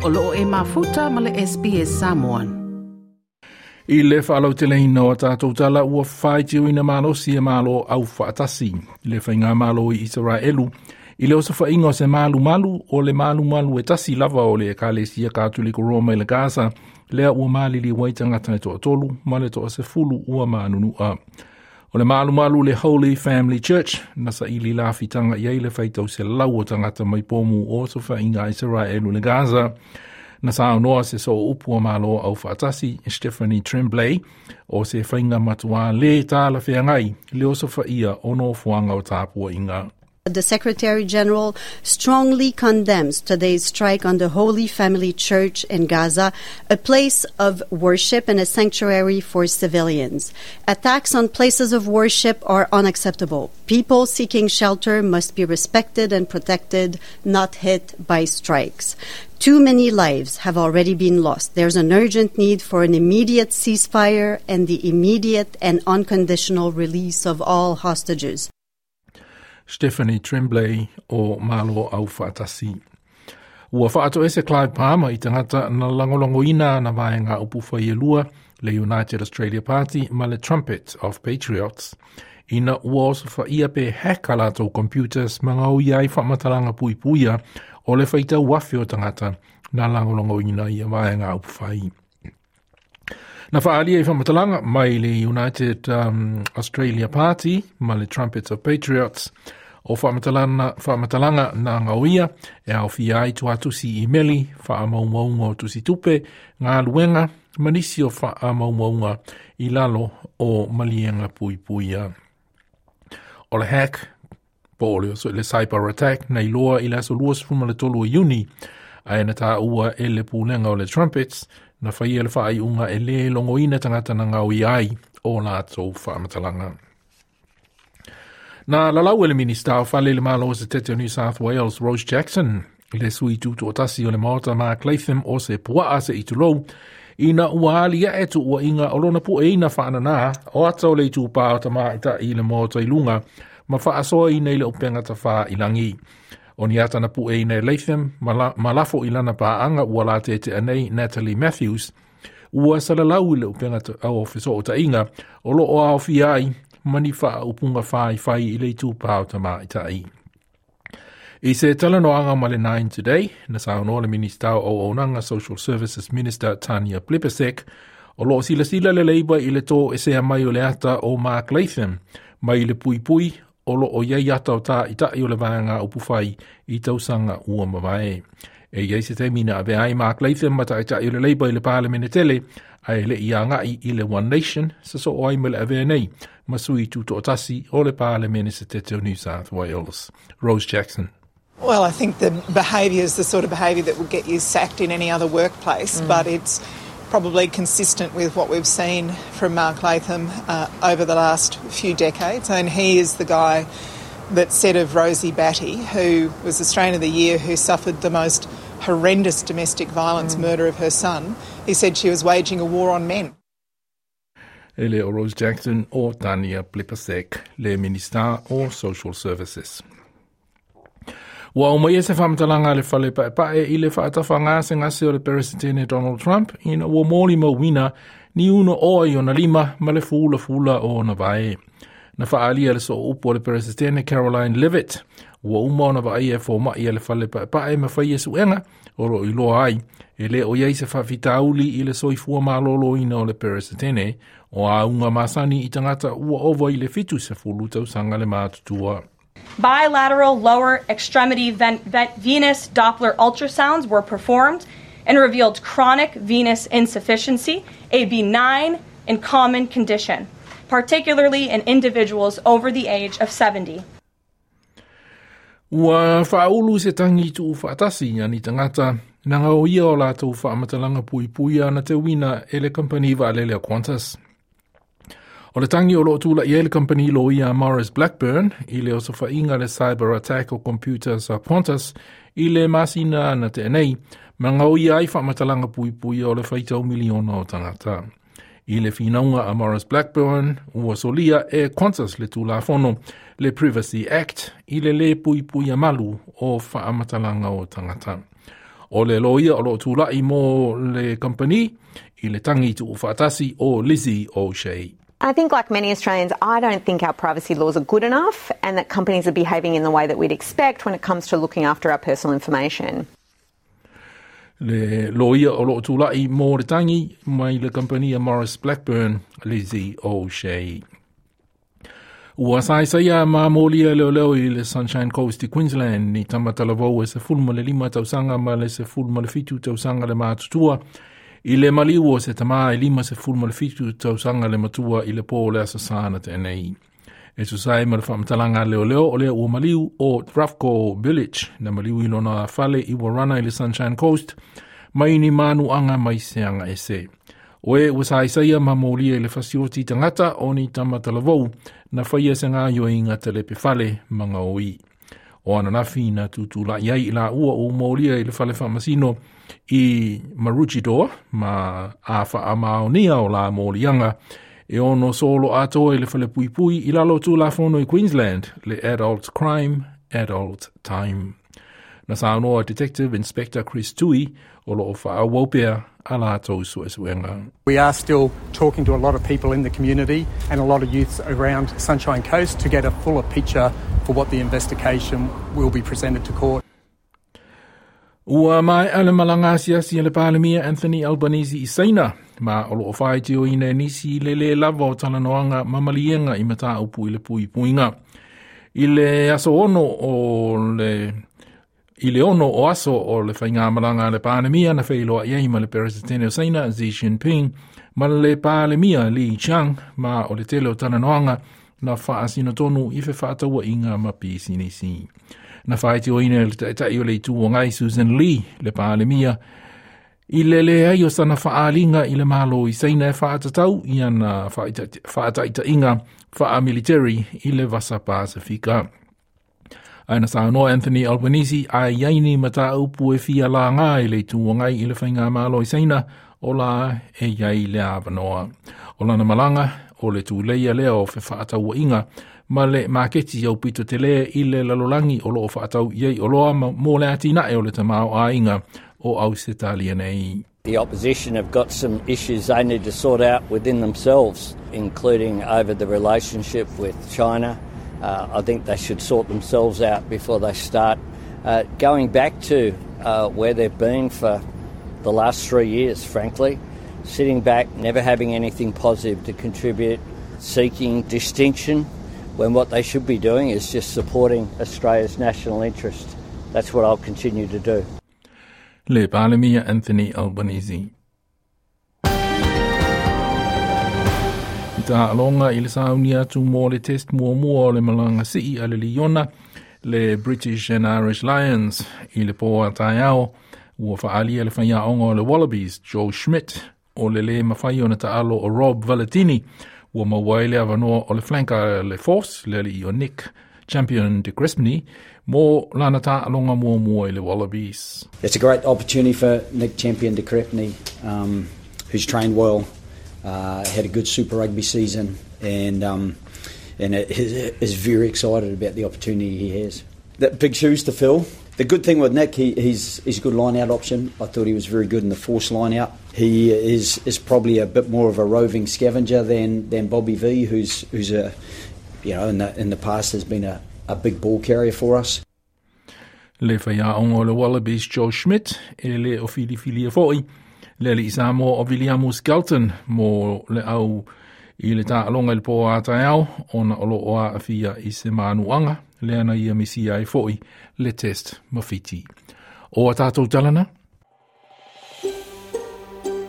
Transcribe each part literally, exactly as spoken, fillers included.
O loo e mafuta ma le S B S Samoan. I le whaalauteleina o tātou tala ua whaitiuina malosi e malo au whaatasi. I le whainga malo i Israelu. I le osa whainga o se malu malu o le malu malu e tasi lava o le Ekalesia Katoliko Roma i le Gaza. Lea ua malili waitangata e toa tolu, ma le toa se fulu ua manunua. O le malu malu le Holy Family Church, na sa ili la fitanga i le whaitau se lau o tangata mai pomu o so whainga Israelu le Gaza. Na sa noa se so upu o malo au whaatasi, Stephanie Tremblay, o se whainga matua le tāla wheangai, le o so whaia o no fuanga o tāpua inga. The Secretary General strongly condemns today's strike on the Holy Family Church in Gaza, a place of worship and a sanctuary for civilians. Attacks on places of worship are unacceptable. People seeking shelter must be respected and protected, not hit by strikes. Too many lives have already been lost. There's an urgent need for an immediate ceasefire and the immediate and unconditional release of all hostages. Stephanie Tremblay o Malo au whaatasi. Ua whaato ese Clive Palmer i tangata na langolongo ina na vaenga upu whaielua le United Australia Party ma le Trumpet of Patriots. Ina ua oso whaia pe heka lātou computers mangau iai whamatalanga puipuia o le whaitau wafe o tangata na langolongo ina ia vaenga upu whai. Na whaalia i whamatalanga mai le United um, Australia Party ma le Trumpets of Patriots o whamatalanga, whamatalanga na ngauia e au whiai tuatusi i meli whaamaumaunga o tusi tupe ngā luenga manisi o whaamaumaunga i lalo o malienga puipuia. O le hack, po o le cyber attack na iloa i le aso lua sefuma le tolu o Iuni a e na tā ua e le pūlenga o le Trumpets na whaia le whaai unga e le longoina tangata na ngau i ai o lātou whaamatalanga. Na lalau e le Minista o whale le malo o se tete o New South Wales, Rose Jackson, le sui tutu o tasi o le maota Mark Latham o se puaa se itulou, ina ua ali e tu ua inga o lona pu e ina whaanana o ata o le itu pā o tamaita i le maota i lunga, ma whaasoa ina i le upenga tawha i langi. O ni ata na pu e ina e Latham, ma lafo i lana pāanga ua la te te anei Natalie Matthews, ua salalau i le upenga au ofeso o tainga, o lo o ao fiai, mani wha upunga whai whai i le itu pā o tamaita i. I se talanoanga ma le Nine Today, na saunoa le Minista o Onanga Social Services Minister Tanya Plibersek, o loo sila sila le leiba i le tō e sea mai o le ata o Mark Latham, mai le pui pui o lo o iai ata o tā itai o le vaanga o puwhai i tausanga ua mavae. E iai se teimina ave ai Mark Latham ma taitai o le leiba i le Parliament tele, a e le ia ngai i le One Nation, sa so o ai me le avea nei, masui tutoatasi o le Parliament se tete o New South Wales. Rose Jackson. Well, I think the behaviour is the sort of behaviour that would get you sacked in any other workplace, mm. but it's probably consistent with what we've seen from Mark Latham uh, over the last few decades. And he is the guy that said of Rosie Batty, who was Australian of the Year, who suffered the most horrendous domestic violence mm. murder of her son, he said she was waging a war on men. Ele o Rose Jackson o Tanya Plibersek, le Minister o Social Services. Ua o mai e se whamatalanga le whale pae i le whaatawha ngā se ngase o le Presidente Donald Trump ina ua mōli mauina ni uno oa i ona lima ma le fula fula o ona vae. Na whaalia le so upu o le Presidente Caroline Levitt. Ua uma ona vaai e fōmai a le whale pae ma whai e suenga o ro i loa ai. E le o iai se whawhitauli i le soifua malolo ina o le Presidente o a unga masani i tangata ua ova i le fitu se fulu tausanga le mātutua. Bilateral lower extremity ven- ven- venous Doppler ultrasounds were performed and revealed chronic venous insufficiency, a benign and common condition, particularly in individuals over the age of seventy. Ua whaulu se tangi tu whaatasi ani tangata na ngau ia o lātou whaamatalanga puipuia na te wina e le kampani waalele a Qantas. O le tangi o loo tula i e le kampani lo ia Maurice Blackburn i le osofainga le cyber attack o computers a Qantas i le masina na te nei, ma ngau ia ai whaamatalanga puipuia o le whaitau miliona o tangata. I le whinaunga a Maurice Blackburn, ua solia e Qantas le tulafono le Privacy Act i le le puipuia malu o whaamatalanga o tangata. O le loia o loo tūlai mo le company i le tangi tu whaatasi o Lizzie O'Shea. I think, like many Australians, I don't think our privacy laws are good enough and that companies are behaving in the way that we'd expect when it comes to looking after our personal information. Le loia o loo tūlai mo le tangi mai le kompania Morris Blackburn, Lizzie O'Shea. Ua saisaia ma molia leo leo i le Sunshine Coast i Queensland ni tamatalavou e se fulma le lima tausanga ma le se fulma le fitu tausanga le mātutua i le maliu o se tamā i lima se fulma le fitu tausanga le matua i le pō le asasana tēnei. E susai ma le whaamatalanga leo leo o lea ua maliu o Rafko Village na maliu i lona fale i Warana i le Sunshine Coast mai ni manu anga mai seanga ese. Oe ua saisaia ma molia i le fasioti tangata o ni tamatalavou na whaia se ngā yoinga te lepe fale manga oi. O ananafi na tutula iai i la ua o molia i le fale whamasino i Maroochydore ma a whaamaonia o la molianga e ono solo atoa i le fale puipui i lalo tū la fono i Queensland le Adult Crime, Adult Time. Na saunoa Detective Inspector Chris Tui o loo whaawopea a lātou suesuenga. We are still talking to a lot of people in the community and a lot of youths around Sunshine Coast to get a fuller picture for what the investigation will be presented to court. Ua mai ale malanga asiasi le Palemia Anthony Albanese i Saina, ma o loo whaitio ina nisi le le lava o talanoanga mamalienga i mata upu i le pui puinga. I le aso ono o le I le ono o aso o le whainga malanga le Palemia na whailoa iai ma le Peresidente o Saina Xi Jinping ma le Palemia Li Qiang ma o le tele o talanoanga na whaasino tonu i whawhataua inga ma pisinisi. Na whaitio ina le taitai o le itu o ngai Susan Lee le Palemia i le le ai o sana whaalinga i le malo i Saina e whaatatau i ana whaataita inga whaamilitary i le Vasa Pasifika. Aina saunoa Anthony Albanese a iaini mata upu e fia la ngā i le tuangai i le whainga malo i Saina o la e iai le awanoa. O lana malanga o le tūleia lea o whaataua inga ma le maketi au pito te lea i le lalolangi o loo whaatau iei o loa mō le atina e o le tamao a inga o Ausetalia nei. The opposition have got some issues they need to sort out within themselves, including over the relationship with China. Uh, I think they should sort themselves out before they start uh, going back to uh, where they've been for the last three years, frankly. Sitting back, never having anything positive to contribute, seeking distinction, when what they should be doing is just supporting Australia's national interest. That's what I'll continue to do. Le Palemia Anthony Albanese. Ta alonga i le saunia atu mō le test mua mua o le malanga sii a le Liona, le British and Irish Lions i le pō a taiao, ua whaalia le whaiaonga o le Wallabies, Joe Schmidt, o le le mawhai o na taalo o Rob Valetini, ua mauai le awanoa o le flanka le Force, le ali o Nick Champion de Crespigny, mō lana ta alonga mua mua i le Wallabies. It's a great opportunity for Nick Champion de Crespigny, um, who's trained well. Uh, had a good Super Rugby season and um, and is, is very excited about the opportunity he has. That big shoes to fill. The good thing with Nick, he, he's, he's a good line-out option. I thought he was very good in the force line-out. He is, is probably a bit more of a roving scavenger than, than Bobby V, who's who's a you know in the in the past has been a, a big ball carrier for us. Le whaiaonga o le Wallabies Joe Schmidt e le o Filifilia foi. Le li isa mo o William Skelton mo le au i le tālonga i le pō a taiao ona o loo a awhia i se mānuanga le ana ia misia i foi le test mawhiti. O a tātou talana?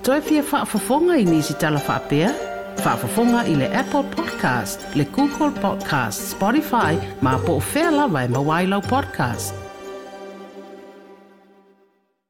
Toi fia whaafafonga i nisi tala whaapea? Whaafafonga i le Apple Podcast, le Google Podcast, Spotify, ma po o whea lawa e mawailau podcast.